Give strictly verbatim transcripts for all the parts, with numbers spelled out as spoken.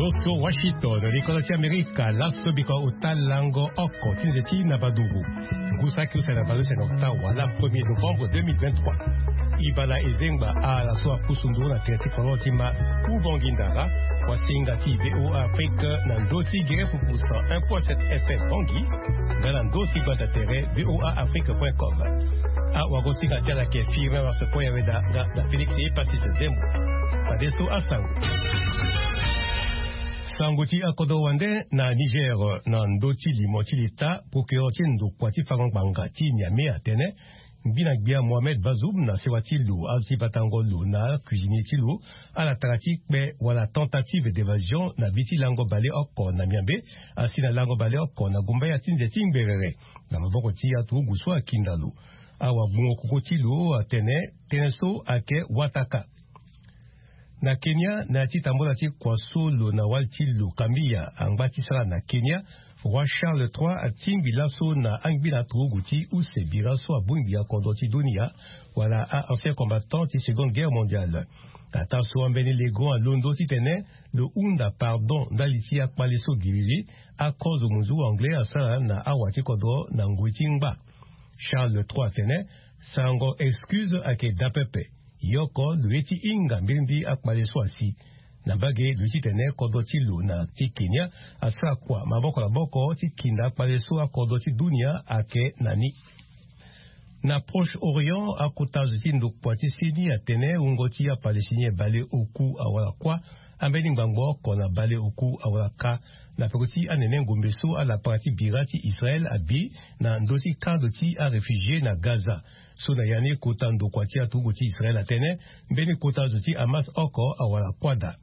Oso Washington, likolo ti Amerika, laso biko ota lango oko ti nze ti na baduru. Ngu saki use na baleuse na ota wala premier novembre deux mille vingt-trois. Ibala ezengba ala so apusu nduru na tere ti kolon ti ma Ubangui Ndara, wasinga ti VOA Afrique na ndö ti gere pupusa un point sept F M Bangui, nga na ndö ti gbata tere VOA Afrique point com. Awagosinga ti ala yeke Firmin Marsepo Yaweda nga na Félix Epasis Zembo. Fadeso asango. Sango ti akodro wande na Niger, na ndö ti limo ti leta, procureur ti ndokua ti fango ngbanga ti Niamey atene, ngbi na gbia Mohamed Bazoum na sewa ti lo, azo ti batango lo na cuisinier ti lo, ala tara ti kpe wala tentative d'évasion na bi ti lango baleoko na miambe, asi na lango baleoko na gumbaya ti nze ti ngberere, na maboko ti aturugu so akinda lo. Awagbungo koko ti lo atene, tënë so ayeke wataka. Na Kenya, na ya ti tambula ti kua so lo na wali ti lo Kamiya angba ti sara na Kenya, roi Charles trois atingbi laso na angbi na aturugu ti use bira so abongbi akodro ti dunia, wala a-ancien combattant ti Seconde Guerre mondiale. Ataa so ambeni legon alondo titene lo hunda pardon ndali ti akpale so giriri, akozo munzu anglais asara na awa ti kodro na ngoi ti ngba. Charles trois atene, sarango excuse ayeke daa pepe. Yoko lo ye ti hinga mbirimbiri akpale so asi. Na mbage lo ye titene kodro ti lo na ti Kenya asara kua maboko na maboko ti kinda akpale so akodro ti dunia ayeke na ni. Na Proche-Orient, akota zo ti ndokua ti seni atene wungo ti aPalestinien baleoku awara kuâ, ambeni ngbangbo oko na baleoku awara ka, na peko ti anene ngombe so alapara ti bira ti Israël abi na ndö ti kando ti aréfugié na Gaza. So na ya ni kota ndokua ti aturugu ti Israël atene, mbeni kota zo ti Hamas oko awara kuâ daa.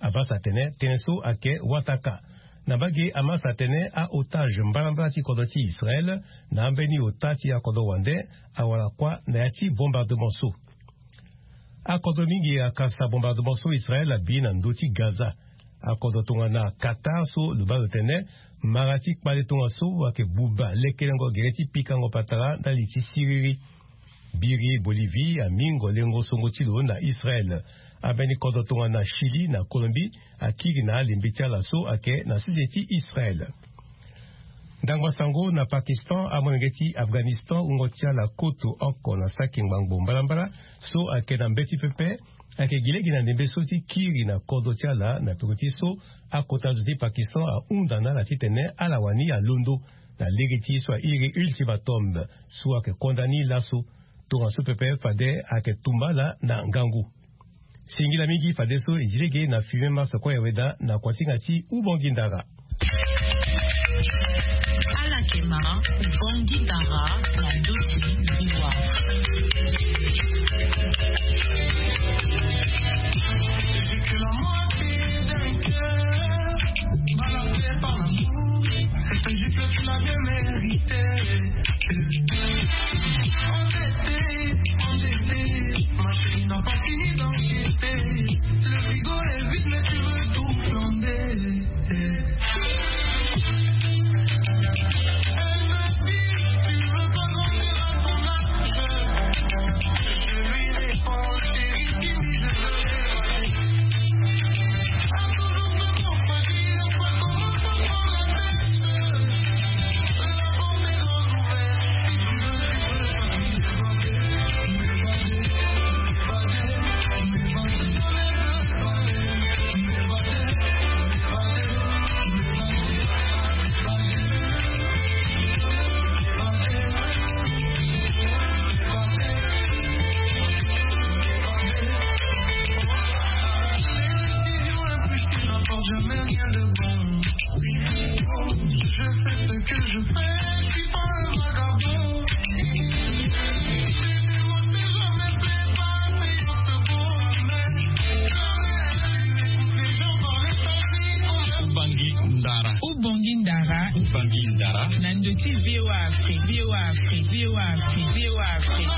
Hamas atene, tënë so ayeke wataka. Na mbage Hamas atene, a-otage mbalambala ti kodro ti Israël na ambeni ota ti akodro wande awara kuâ na ya ti bombardement so. Akodro mingi akasa bombardement so Israël abi na ndö ti Gaza. Akodro tongana Qatar so lo baa lo tene, mara ti kpale tongaso ayeke buba lekelengo gere ti pikango patara ndali ti siriri. Biri Bolivie amingo lengo songo ti lo na Israël. Ambeni kodro tongana Chili na Colombie akiri na alembe ti ala so ayeke na sese ti Israël. Ndangba sango na Pakistan, amolenge ti Afghanistan wungo ti ala koto oko na saki ngbangbo mbalambala so ayeke na mbeti pepe, ayeke gi lege na ndembe so ti kiri na kodro ti ala na peko ti so akota zo ti Pakistan ahunda na ala titene ala wani alondo na lege ti so airi ultimatum so ayeke konda ni laso. Tongaso pepe fade ayeke tumba ala na ngangu. Singila mingi fadeso e zi lege na Firmin Marsepo Yaweda na kuasinga ti Ubangui Ndara. Alakema Ubangui Ndara na ndö ti VOA. J'ai que la moitié d'un cœur, balançais par l'amour. C'était juste que tu l'avais mérité. Endetté, endetté, ma chérie n'a pas fini d'enquêter. Le frigo est vide, mais tu veux tout flamber. Elle me dit, tu veux pas dormir à ton âge. Je lui réponds, chérie, fini, je veux. Ubangui Ndara. Ubangui Ndara. Ubangui Ndara. Na ndö ti VOA Afrique, VOA Afrique, VOA Afrique, VOA Afrique.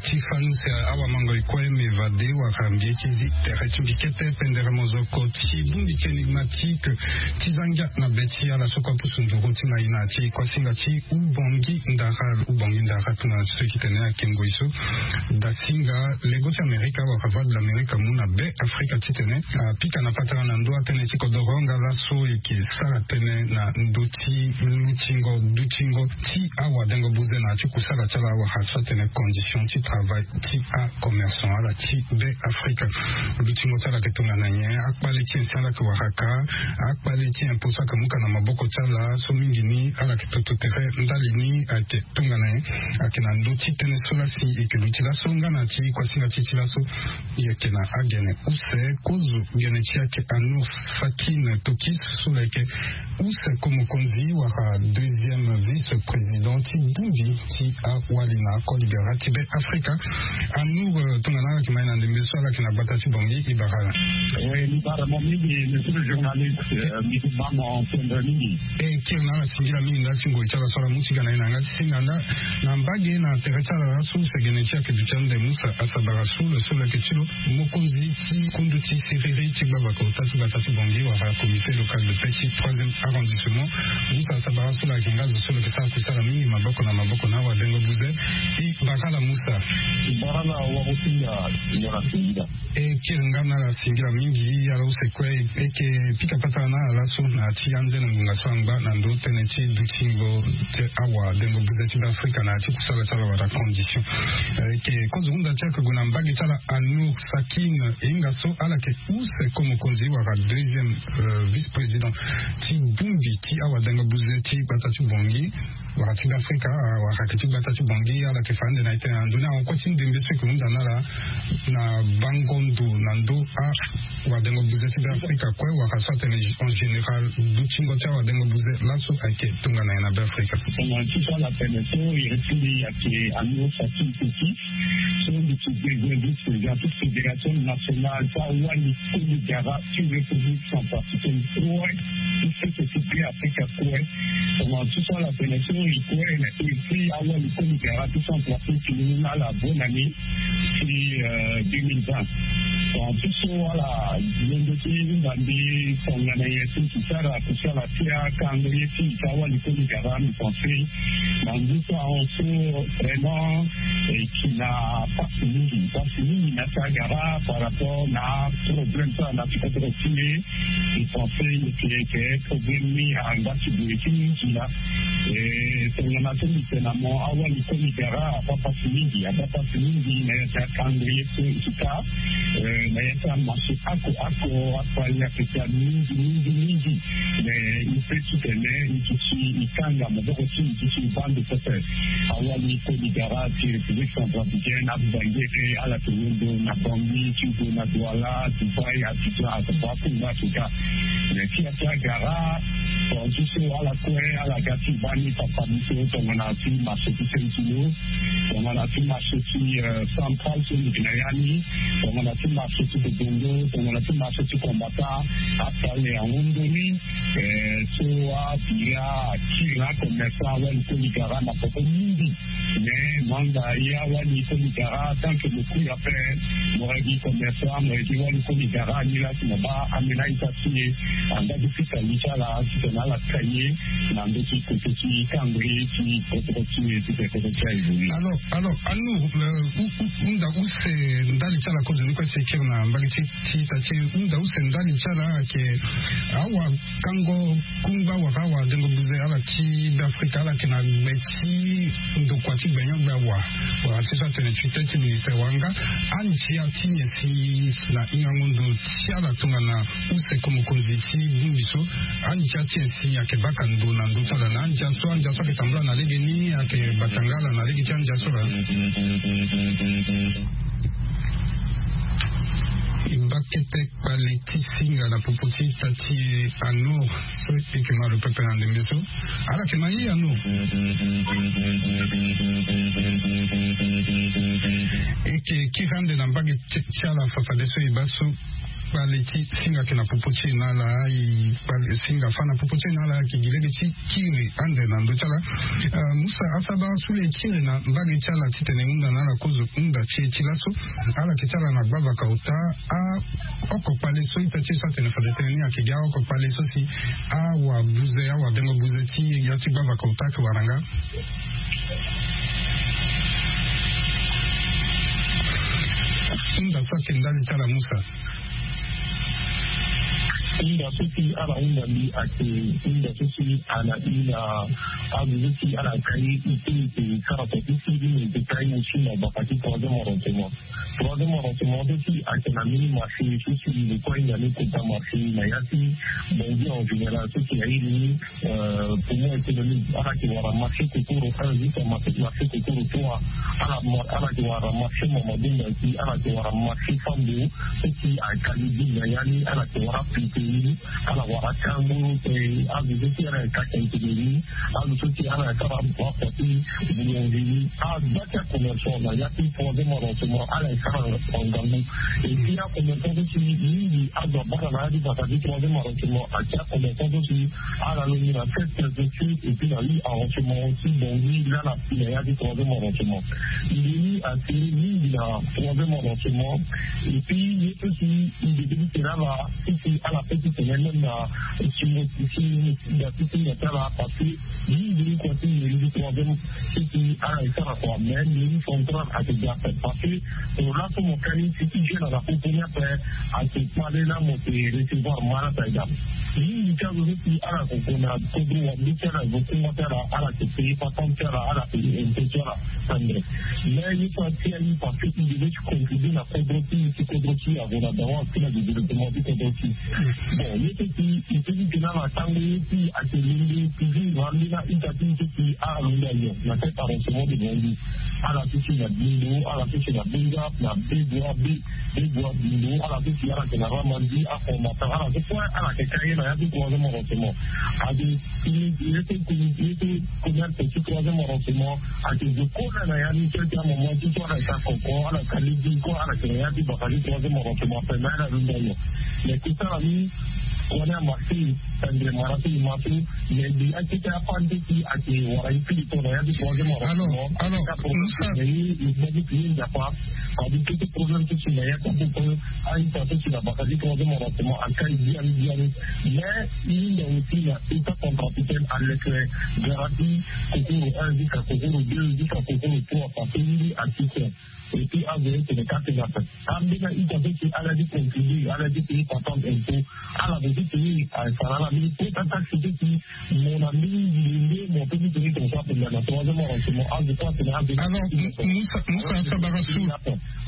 Ti fanu se awamango ekue me vade wara mbi ye ti zi tere ti mbi kete pendere mozoko ti bongbi ti énigmatique ti za ngia na be ti ala so kue apusu nduru ti ngai na ti kuasinga ti ubongi ndara. Ubongi ndara tongana ti so e tene ayeke ngoi so dasinga lego ti amerika wala voie de l'amerika mu na be afrika titene apika na patara na ndö atënë ti kodoro nga laso e yeke sara tënë na ndö ti lutingo dutingo ti awadengo buze na ya ti kusala ti ala wala so atene condition ti travail ti acommerçant ala ti be afrika. Lutingo ti ala ayeke tongana nyen? Akpale ti nyen si ala yeke wara ka? Akpale ti nyen po so ayeke mu ka na maboko ti ala so mingi ni ala yeke toto tere ndali ni ayeke tongana nyen? Ayeke na ndö ti tënë so lasi e yeke luti laso nga na ti kuasinga ti e ti laso. E yeke na agene use kozo gene ti e ayeke Anour Sakin Tokis so lo yeke use ko mokonzi wala deuxième vice-président ti bongbi ti awali na akoli biara ti be afrika. Anour, tongana ala yeke ma e na ndembe so ala yeke na gbata ti bongi e bara ala. Oui, mbi bara mo mingi monsieur le journaliste. Mbi bara mo tendre mingi. E kiri na ala singila mingi ndali ti ngoi ti ala so ala mu ti ga na e na yanga ti singa nda na mbage na tere ti ala laso use gene ti e ayeke duti ande musa asabara sule sule ayeke ti lo mokonzi ti kundu ti siriri ti gbavaka ota ti gbata ti bongi wala comité local de paix ti troisième arrondissement. Musa asabara so lo ayeke nga zo so lo yeke sara kusala mingi maboko na maboko na awadengo buze. E bara ala musa. Bara ala warusinga. Ngana singila. E kiri nga na ala singila mingi. Ala use kue e yeke pika patara na ala laso na ya ti anze na ngonga so angba na ndö tënë ti dutingo ti awadengo buze ti be afrika na ya ti kusala ti ala wala condition. E yeke kozo hunda ti ala yeke gue na mbage ti ala Anour Sakin. E hinga so ala yeke use ko mokonzi wala deuxième vice-président ti bongbi ti awadengo buze ti gbata ti bongi wala ti be afrika wala ayeke ti gbata ti bongi ala yeke fa ande na e tene na ndoni awa kue ti ndembe so e yeke hunda na ala na bango ndo na ndö awadengo buze ti be afrika kue wala so atene en général dutingo ti awadengo buze laso ayeke tongana nyen na be afrika. Tongana ti so ala tene so iri ti mbi ayeke Anour Sakin Tokis so mbi ti deuxième vice-président ti fédération nationale ti awali koli gara ti république centrafricaine kue ti sese ti be afrika kue. Tongana ti so ala tene so e kue na iri ti awali koli gara ti centrafrique ni na ala bonane ti deux mille vingt. Tongana ti so ala londo ti hunda mbi tongana nyen si e sara kusala ti akangre ti e ti awali koli gara mbi pense na ngu so ahon so vraiment e yeke na pasi mingi pasi mingi na ti agara par rapport na problème so ala na ti kodro ti e. Mbi pense e yeke yeke problème ni angba ti boye ti mingi la. E tongana so mbi tene na mo awali koli gara abaa pasi mingi abaa pasi mingi na ya ti akangre so e ti ka na ya ti amarché oko oko akpali ayeke daa mingi mingi mingi. Mais e peut ti tene e duti e kanga maboko ti e duti e baa ndo pepe. Awali koli gara ti république centrafricaine abuba ngere ala yeke londo na bangui ti gue na douala dubai abidjan asaba akongo afrika. Mais ti ya ti agara tongana ti so ala kue ala ga ti baa ni papa biso tongana ti marché ti sentilo tongana ti marché ti central so mbi yeke na ya ni tongana ti marché ti bobongo tongana ti marché ti combattant. Asale ahon ndoni so abira akiri acommerçant awali koli gara na poko mingi. Mais mo anda ye awali koli gara tant que mo kui ape mo yeke commerçant mo yeke wali koli gara ni lasi mo baa amena ita ti e. Anda ti fika li ti ala titene ala ka ye na ndö ti kote ti kangre ti kotoko ti e titene kotoko ti aye. Alors alors Anour, hunda use ndali ti ala kozo ni kue si e kiri na mbage ti ti ita ti e hunda use ndali ti ala ayeke awa kango kungba wala awadengo buze ala ti be afrika ala yeke na gbe ti ndokua ti gbenyo-gbe awa wala ti so atene tutelle ti ministre wala nga andia ti nyen si na hingango ndo ti ala tongana use ko mokonzi ti bongbi so andia ti nyen si ayeke baka ndo na ndö ti ala na andia so andia so ayeke tambula na lege ni ayeke bata nga ala na lege ti andia so laa. E baa kete kpale ti singa na popo ti ita ti e Anour so e yeke ma lo pepe na ndembe so. Ala yeke ma ye Anour. E yeke kiri ande na mbage ti ala fafadeso e baa so. Kpale ti singa ayeke na popo ti e na ala. E kpale singa fâ na popo ti e na ala ayeke gi lege ti kiri ande na ndö ti ala. Musa, asabara so le e kiri na mbage ti ala titene e hunda na ala kozo hunda ti e ti laso. Ala yeke ti ala na gbavaka ota. Aoko kpale so ita ti e so atene fade tënë ni ayeke gi aoko kpale so si awabuze awabengo buze ti ya ti gbavaka ota ayeke wara nga. Hunda so ayeke ndali ti ala Musa. Hunda so si ala hunda mbi ayeke hunda so si ala hunda azo so si ala kai ite ite sara so ti si mbi yeke kai mosu na baka ti troisième arrondissement. Troisième arrondissement so si ayeke na mbeni marché so si mbi kue hinga ni kota marché na ya ti Bangui en général so si airi ni. Poumon économique ala yeke wara marché kokoro un jusqu'à marché kokoro trois. Ala yeke wara marché Mamadou Mbaki, ala yeke wara marché Fambo so si ayeke ali bi na ya ni, ala yeke wara pinteri, ala wara kango, azo so si ala yeke ka kentene ni, azo so si ala yeke sara afa ti boulangerie, aza ti acommerçant na ya ti troisième arrondissement ala yeke sara na ngangu. Et puis acommerçant so si mingi azo abâ na ya ti baka ti troisième arrondissement ayeke acommerçant so si ala longbi na sept préfecture et puis na huit arrondissement aussi. Bangui laa na ya ti troisième arrondissement. Mbeni asere mingi na troisième arrondissement. Et puis ye so si mbi debi tene ala si si ala peut ti tene même na singo ti singo ti singo ti ala parce que mingi ni kua ti mairie ti troisième ti ti ala e sara kua mais mairie centrale ayeke ga ape parce que tongana laso mo kai si ti jeune ala popo ni ape ayeke kpale laa mo yeke recevoir ma ala ta e ga. Mingi ti azo so si ala yeke gue na kodro wande ti ala gue kungba ti ala ala yeke paye patente ti ala ala yeke impôt ti ala. Tendre mais ye so ati aye parce que i devait ti contribuer na kodro ti i si kodro ti i ague na dawa ti na développement ti kodro ti i. Bon ye so si i peut ti tene ala tango ye ti i ayeke lende toujours na ambeni a-ita ti i so si ala lende ayo na tête arrondissement de Bangui. Ala so si na Bindo, ala so si na Bengap, na Begoua, Be- Begoua, Bindo, ala so si ala yeke na Ramandi, Afondatan, ala so kue ala yeke ka ye na ya ti troisième arrondissement. Ayeke communauté, ye so communauté, ye so commerce ti troisième arrondissement ayeke zo kue na ya ni ti ayeke amama ti so ala yeke akoko, ala yeke alege kue, ala yeke na ya ti baka ti troisième arrondissement ape mais ala lunda nyon. Mais kosala ni kua ni amarché. Tendre mara so e ma so mais mbi akete afa ni so si ayeke wara ye fini to na ya ti troisième arrondissement. Alors, alors, Musa, mais ye e gbagi ti ye nzapa. Fade kete problème so si na ya ti apopo a-ita so si na baka ti troisième arrondissement akai biani biani. Mais e hinga aussi na état centrafricaine aleke gara ti kokoro un jusqu'à kokoro deux jusqu'à kokoro trois parce que ye ni asistem. Et puis azo ye tene ka tene ape. Ambeni a-ita so si ala ye ti contribuer, ala ye ti payer patente impôt, ala zo ti tene asara ala mbeni kota taxe so si mo na mbeni nzili nde mo peut ti tene tongaso ape na troisième arrondissement azo kue atene azo. Alors, Musa, Musa asabara so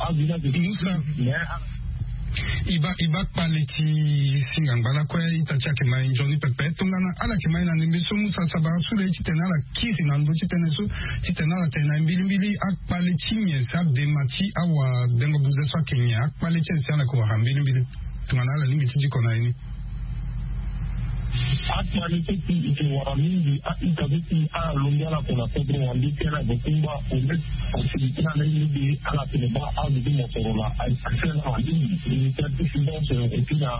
azo ni azo Musa mais e baa, e baa kpale ti singa ngbala kue ita ti ayeke ma e nzoni pepe tongana ala yeke ma e na ndembe so Musa asabara so le ti tene ala kiri na ndö ti tënë so ti tene ala tene na mbilimbili akpale ti nyen si adema ti awabengo buze so ayeke nyen akpale ti nyen si ala yeke wara mbilimbili tongana ala lingbi ti diko na ye ni. Akpale so si e yeke wara mingi a-ita so si ala longbi ala gue na kodro wande ti ala gue kungba au moins facilité ala ye ni be ala tene baa azo ti mosoro laa. Aye accès na ala mingi initiative finance et puis na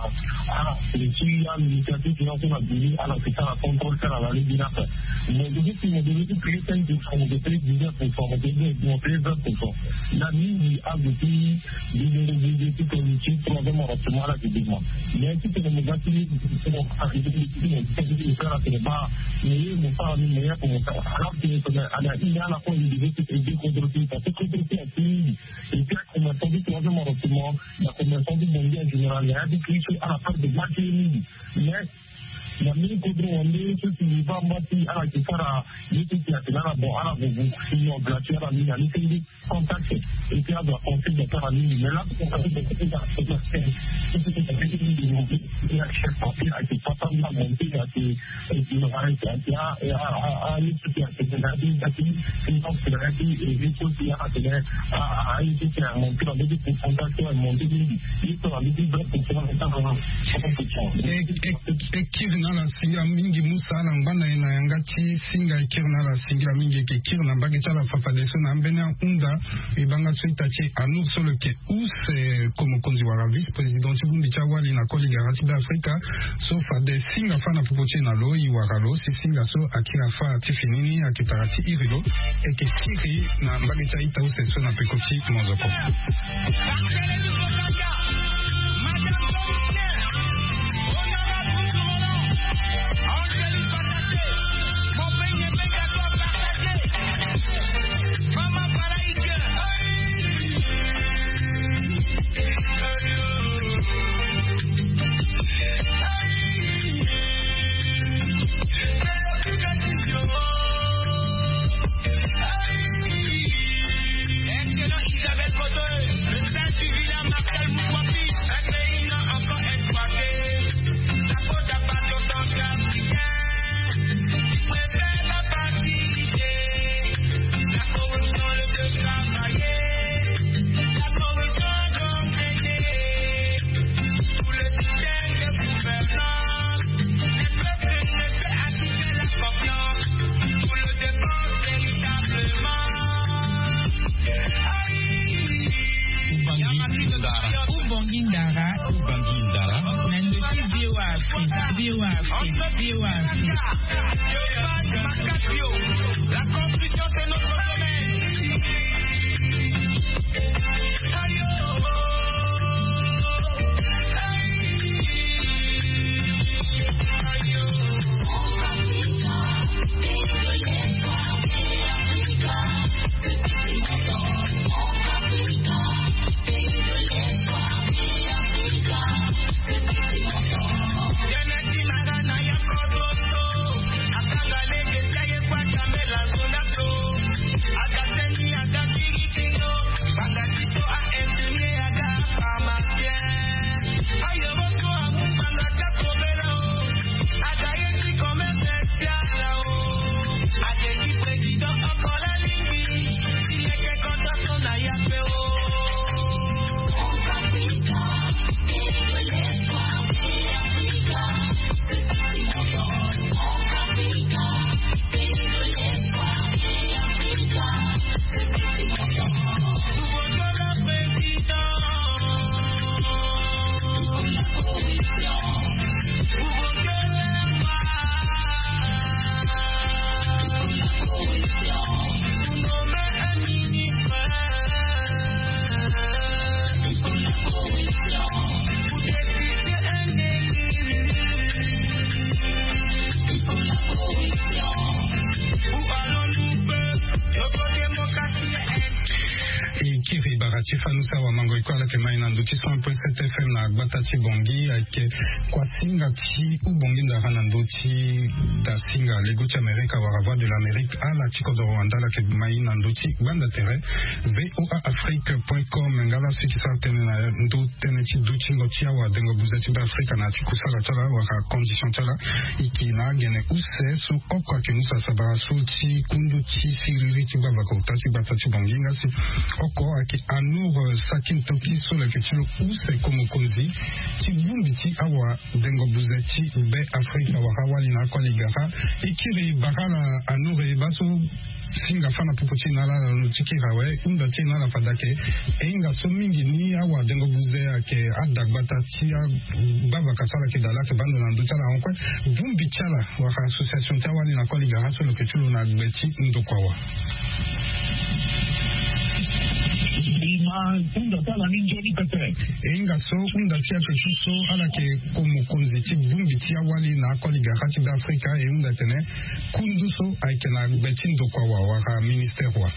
ala tene ti ya initiative finance so na bini ala yeke sara contrôle ti ala na lege ni ape. Mo devait ti mo devait ti payer cinq pour cent, mo devait payer dix-neuf pour cent, mo devait mo payer vingt pour cent. Na mingi azo ti Bidongo bidongo ti toni ti troisième arrondissement ala ti dema. Mais ti tene mo ga ti mo sara tene ba mo ye mo sara ni mo ye ape mo sara ala tene tene ala ini ala kue il devait ti aider kodro ti parce que kodro ti ati mingi. Et puis acommerçant ti troisième arrondissement na commerçant ti Bangui en général na ya ti Kristo ala perdre marché mingi. Mais na mbeni kodro wande so si mbi baa mba ti ala yeke sara ye so si atene ala bon ala gue gue sinon gratuit ala ni na ni senge sans taxe. Et puis azo aconseil da ti ala mingi mais laso chef papier ayeke pata nda monte ayeke ayeke ayeke a a a ye so si atene E kiri na ala singila mingi musa ala ngbanda ye na yanga ti singa e kiri na ala singila mingi eke kiri na mbage ti ala fafadeso na ambeni ahunda. E banga so ita ti anur so lo yeke use komokonzi wala vice-président ti bongbi ti awali na koli gara ti be afrika. So fade singa fa na popo ti e na lo e wara lo si singa so akiri afa ti fini ni ake tara ti iri lo. Eke kiri na mbage ti a-ita use so na peko ti mozoko. Ubangui ndara. Ubangui ndara. Na ndö ti VOA Afrique, VOA Afrique, VOA Afrique. E kiri bara ti fanu ti awamango e kue ala yeke mai na ndö ti cent point sept F M na gbata ti Bangui ayeke kuasinga ti Ubangui ndara na ndö ti dasinga lego ti Amerika wala Voix de l'Amérique ala ti kodoro wanda ala yeke mai na ndö ti gbanda tere V O A Afrique point com. Nga la si e ke sara tënë na ndö tënë ti dutingo ti awadengo buze ti Beafrika na ya ti kusala ti ala wala condition ti ala. E ke na agene use so oko ayeke mu sara sabara so ti kundu ti siriri ti gbavaka ota ti gbata ti Bangui nga si oko ayeke Anour Sakintoki so lo yeke ti lo use komokonzi ti bongbi ti awadengo buze ti Beafrika wala awali na akoli gara. E kiri bara na Anour e baa so singa fa na popo ti e na ala na lo ti kiri awe hunda ti e na ala fade ayeke e hinga so mingi ni awadengo buze ayeke adagbata ti agbavaka so ala yeke daa la ayeke baa ndo na ndö ti ala ankue bongbi ti ala wala association ti awali na koli gara so lo yeke ti lo na gbe ti ndokua wa. E ma hunda ti ala ni nzoni pepe. E hinga so hunda ti ayeke ti so ala yeke komokonzi ti bongbi ti awali na akoli gara ti Beafrika e hunda tene kundu so ayeke na gbe ti ndokua wa wala ministere wa.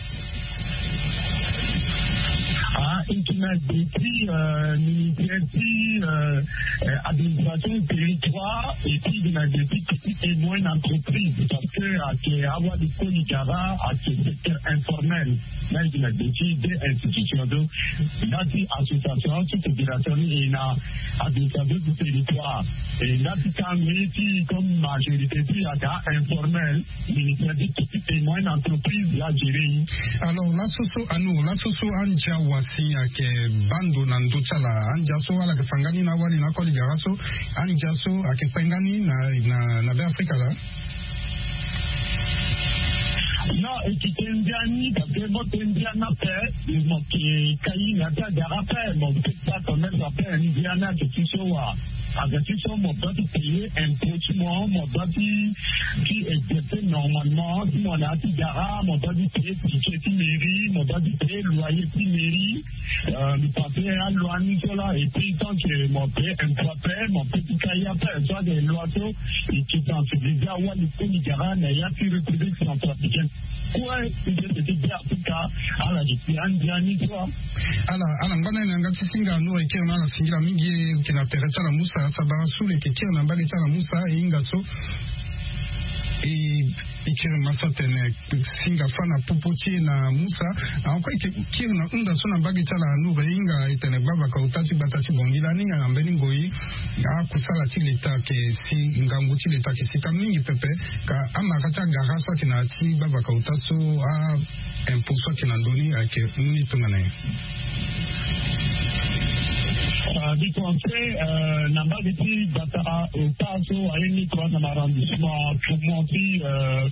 Ah, et qui n'a depuis euh, ministère ti euh, euh, administration territoire et puis qui n'a depuis petite et moyenne entreprise parce que ake awa likoli gara ake secteur informel na eke na depuis deux institutions donc na ti association ti fédération ni e na administration du territoire et na ti tango ye ti comme majorité ti aka informel ministère ti petite et moyenne entreprise la gérer ye. Alors laso so anu laso so andia wasi ayeke bando na ndö ti ala andia so ala yeke fa nga ni na awali na akoli gara so andia so ayeke pe nga ni na na na be afrika laa. Non, e ti te ndia ni parce que mo te ndia ni ape mo ke kai na ti agara ape mo pe ti akommerce ape ndia ni ayeke ti so wa. Aga ti so mo doit ti payer impôt ti mo mo doit ti ti exercer normalement ti mo na ya ti gara mo doit ti payer ticket ti mairie mo doit ti payer loyer ti mairie. Mi pense aloi ni so la et puis tant que mo payer impôt ape mo peut ti kai ape so ayeke loi so e ti sensibiliser awali koli gara na ya ti république centrafricaine. Kue ti be ti be afrika ala gi ti andia ni so. Ala ala ngba na ni na yanga ti singa anu e kiri na ala singila mingi. Eke na tere ti ala musa sabara su lo eke kiri na mbage ti ala musa e hinga so e kiri ma so atene singa fa na popo ti e na musa. Ankoi eke kiri na hunda so na mbage ti ala anu e hinga e tene gbavaka ota ti gbata ti bongi lani na mbeni ngoi. Akusala ti leta ake si ngangu ti leta ake sika mingi pepe. Ka amara ti agara so ayeke na ya ti gbavaka ota so a impôt so ayeke na ndö ni ayeke mu ni tongana nyen? Mbi pense na mbage ti gbata ota so aye ni troisième arrondissement tourment ti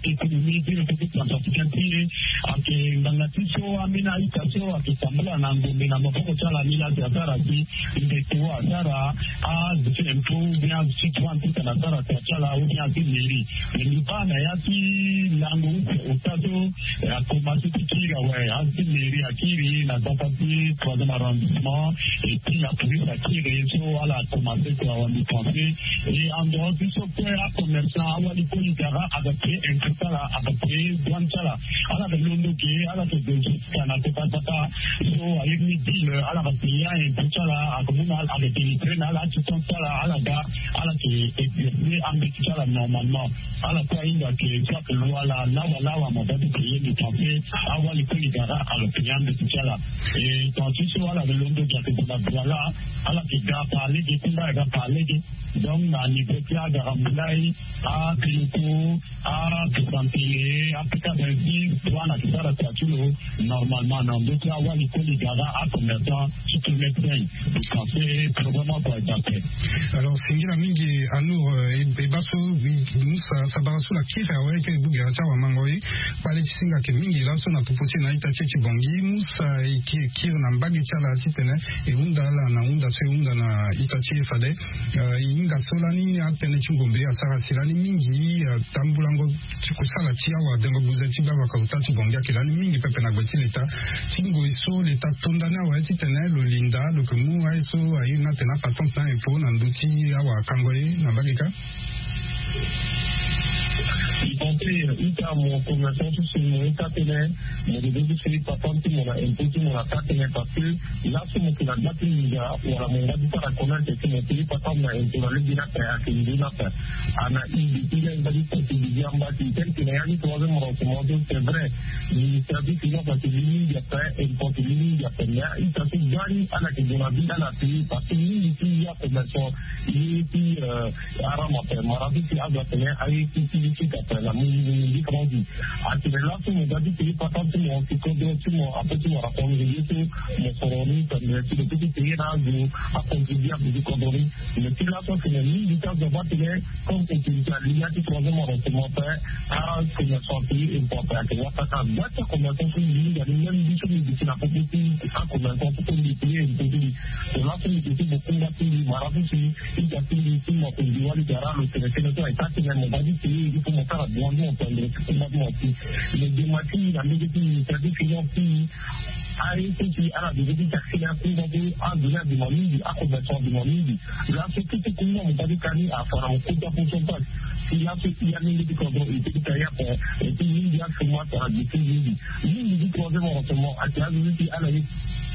économie ti république centrafricaine ti e. Ayeke ngbanga ti so ambeni a-ita so ayeke tambula na ngombe na maboko ti ala ni la si asara si ndeko asara azo ti impôt ou bien azo ti droit ti tene asara tua ti ala ou bien azo ti mairie. Mais mbi baa na ya ti lango use ota so akomanse ti kiri awe azo ti mairie akiri na gbata ti troisième arrondissement. Et puis la police akiri so ala akomanse kua awe mbi pense. Et en dehors ti so kue acommerçant awali koli gara aga paye impôt ti ala aga paye douane ti ala. Ala yeke londo ge ala yeke gue jusqu'à na kota gbata. So ayeke ni deal ala yeke paye a-impôt ti ala aga mu na ala aga délivrer na ala aquittance ti ala ala ga ala yeke exercer ambeti ti ala normalement. Ala kue ahinga ke so ayeke loi ala lawa lawa mo doit ti paye mbi pense awali koli gara aga paye ambeti ti ala. Et tant ti so ala yeke londo ge ayeke gue na Douala. Ala yeke ga par lege ti mba aga par lege. Donc na niveau ti agara mulai, abiloko, akesantele, apika vingt-six, douane ayeke sara tua ti lo normalement na ndö ti awali koli gara acommerçant ti kilomètre cinq. Parce que problème oko ayeke ape. Alors singila mingi. Anour, e baa so musa sabara so la kiri awe eke e bugera ti awamango e. Kpale ti singa ayeke mingi laso na popo ti e na ita ti e ti bongi musa e kiri na mbage ti ala titene e hunda ala na hunda so e hunda na ita ti e fade. E hinga so lani atënë ti ngombe asara si lani mingi. Tambulango ti kusala ti awadengo buze ti gbavaka ota ti bongi ayeke lani mingi pepe na gbe ti leta. Ti ngoi so leta to ndani awe titene lo linda lo yeke mu aye so airi ni atene apatente na impôt na ndö ti awakango ye na mbage kâ. Mbi pense ita mo commerçant ti so mo ye taa tënë. Mo dede ti payer patente ti mo na impôt ti mo na taa tënë parce que laso mo yeke na gba ti nginza wala mo ngba ti sara commerce si mo payer patente na impôt na lege ni ape ayeke nzoni ape. Ana i depuis la i ngba ti sensibiliser amba ti tel que na ya ni troisième renseignement so c'est vrai. Ministère ti finance ayeke li mingi ape, impôt li mingi ape mais ita so gba ni ala yeke gue na ville ala payer parce que mingi ti ya commerçant ye ti haram ape mara so si azo atene aye ti ti li sika ape na mu mu mu différence ti atene laso mo ga ti payer patente ti mo si kodro ti mo ape ti mo raconte ye so mo soro ni tene si lo peut ti payer na azo acontribuable ti kodro ni. Mais ti laso atene mingi ti azo aba atene comme autorité ali ya ti troisième arrondissement ape acommerçant apayer impôt ape ayeke wata ka gba ti acommerçant so mingi ali même biso mingi si na popo ti acommerçant so mbi payer impôt ti mbi. Tongana so mbi ke ti mo kungba ti mbi mara so si Ita ti mbi ti mo ape mbi wali gara lo tene tënë so ayeke atene mo ga ti payer il faut mo sara droit ti mo tendre ti kungba ti mo ti. Mais dema ti mbi na mbege ti mbi ministère ti finance ti mbi aye so si ala dede ti taxe na akungba so azo ni adema mingi acommerçant adema mingi. Laso tout ti kungba mo ga ti ka ni afa na mo kota pourcentage. Si laso i amenge ti kodro e peut ti ka ye ape. Et puis mingi achômage ala gi ti mingi. Mingi ti troisième renseignement ayeke azo so si ala ye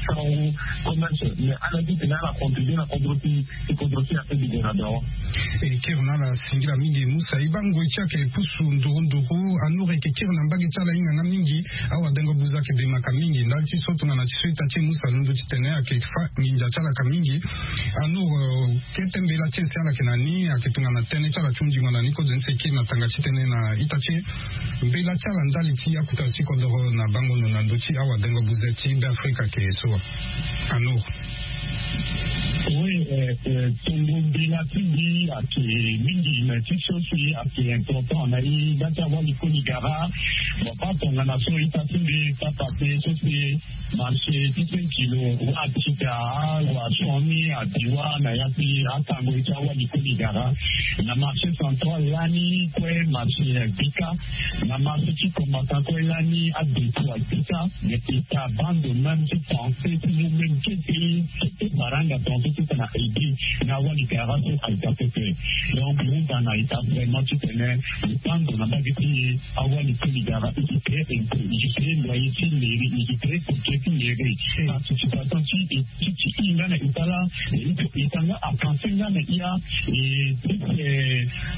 tango commerce mais ala ti tene ala contribuer na kodro ti kodro ti ape du gouvernement. E kiri na ala singila mingi musa e baa ngoi ti ayeke pusu nduru nduru. Anur e yeke kiri na mbage ti ala hinga nga mingi. Awadengo buza ayeke demaka mingi ndali ti so tongana ti so ita ti e musa londo ti tene ayeke fa nginza ti ala ka mingi. Anur, kete mbela ti e si ala yeke na ni ayeke tongana tënë ti ala ti hundingo na ni kozo ni si e kiri na tanga ti tënë na ita ti e. Mbela ti ala ndali ti akuta ti kodoro na bango ndo na ndö ti awadengo buze ti be afrika ayeke so wa? Anur. Oui, tongo mbela ti mbi ayeke mingi mais ti so si ayeke important na e nda ti awali koli gara. Bon pas tongana so ita ti mbi papa pe so si marché ti cinq kilo wa ti ga wa soni abi wa na ya ti atango ti awali koli gara. Na marché central lani kue marché bika na marché ti combattant kue lani adetu abika. Mais ita bando même ti pensé ti nous même kete kete baranga pensé ti tena aidé na awali gara so aida pepe. Donc hunda na ita vraiment ti tene lo tando na mbage ti e awali koli gara e ti payé impôt e ti payé loyer ti mairie e ti payé budget ti mairie. Participation ti e ti ti i nga na ita la e ti ita nga apense nga na i a. E ti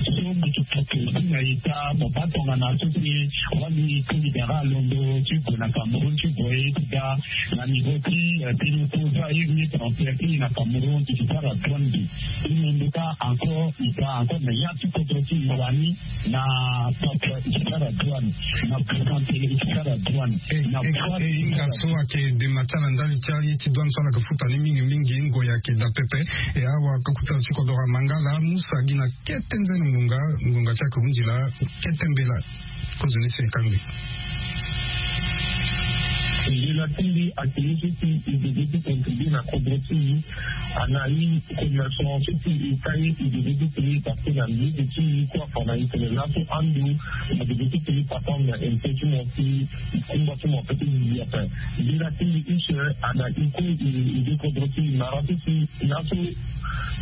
so mbi ti poko ti na ita mo baa tongana so ti wali koli gara alondo ti gue na cameroun ti gue ye ti ga na niveau ti pili koza iri ni transfert ti na cameroun ti ti sara douane mbi. I londo ka encore i ga encore na ya ti kodro ti i wani na papa i sara douane na présentele i sara douane. Na e hinga so ayeke dema ti ala ndali ti aye ti douane so ala yeke futa ni mingi mingi ngoi ayeke daa pepe. E awa akuta ti kodoro amanga laa musa gi na kete nzene ngonga ngonga ti ayeke hundi laa kete mbela. Kozo ni so e kangbi. Mbela ti mbi ayeke ye so si e dege ti contribuer na kodro ti e. Ana i commerçant so si e ka ye e dege ti payé parce que na lieu de ti e kue afa na e tene laso ando na dege ti payé papa na impôt ti mo si e kumba ti mo ape ti zizi ape. Mbela ti mbi use ana i kue e de kodro ti e mara so si laso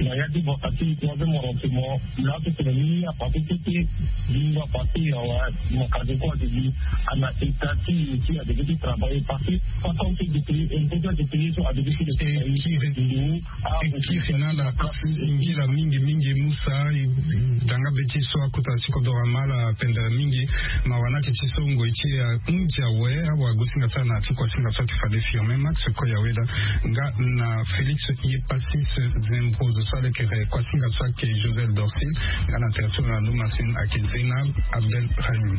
na ya ti vaka ti troisième renseignement laso tene ni apassé tete. Ni apassé awa makaze kue ake gi ana état ti e ti adege ti travailler parce que pas tant que de payer impôt ti ake payer so adege ti de payer. E kiri na ala e ngi la mingi mingi musa. Danga be ti so akota ti kodoro ama ala pendere mingi. Mawa na ake ti so ngoi ti e ahunzi awe awa gosinga ti ala na ti kuasinga so ake fade firme max koya weda nga na félix. Ye pasis zembroso so ala yeke re kuasinga so ake joseph dorcil nga na tere so na lumasin ake zena abdel rahim.